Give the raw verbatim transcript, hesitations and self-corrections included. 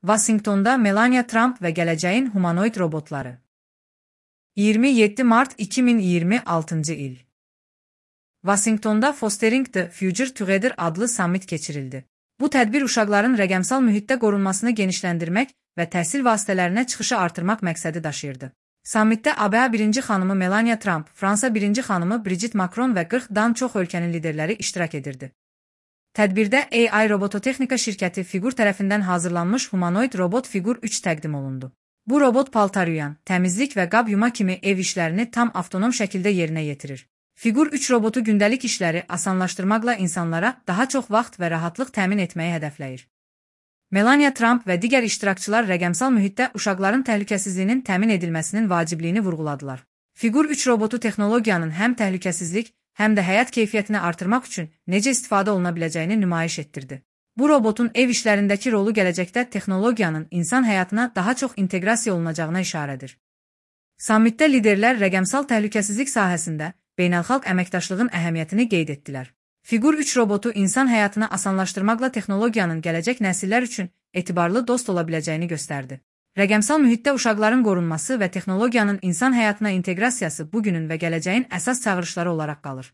Vaşinqtonda Melania Trump və gələcəyin humanoid robotları. iyirmi yeddi mart iki min iyirmi altıncı il. Vaşinqtonda Fostering the Future Together adlı sammit keçirildi. Bu tədbir uşaqların rəqəmsal mühitdə qorunmasını genişləndirmək və təhsil vasitələrinə çıxışı artırmaq məqsədi daşıyırdı. Sammitdə A B A birinci xanımı Melania Trump, Fransa birinci xanımı Brigitte Macron və qırxdan çox ölkənin liderləri iştirak edirdi. Tədbirdə A I Robototexnika şirkəti Figur tərəfindən hazırlanmış humanoid robot Figur üç təqdim olundu. Bu robot paltar yuyan, təmizlik və qab yuma kimi ev işlərini tam avtonom şəkildə yerinə yetirir. Figur üç robotu gündəlik işləri asanlaşdırmaqla insanlara daha çox vaxt və rahatlıq təmin etməyi hədəfləyir. Melania Trump və digər iştirakçılar rəqəmsal mühitdə uşaqların təhlükəsizliyinin təmin edilməsinin vacibliyini vurğuladılar. Figur üç robotu texnologiyanın həm təhlükəsizlik, həm də həyat keyfiyyətini artırmaq üçün necə istifadə oluna biləcəyini nümayiş etdirdi. Bu robotun ev işlərindəki rolu gələcəkdə texnologiyanın insan həyatına daha çox inteqrasiya olunacağına işarədir. Sammitdə liderlər rəqəmsal təhlükəsizlik sahəsində beynəlxalq əməkdaşlığın əhəmiyyətini qeyd etdilər. Figur üç robotu insan həyatını asanlaşdırmaqla texnologiyanın gələcək nəsillər üçün etibarlı dost ola biləcəyini göstərdi. Rəqəmsal mühitdə uşaqların qorunması və texnologiyanın insan həyatına inteqrasiyası bugünün və gələcəyin əsas çağırışları olaraq qalır.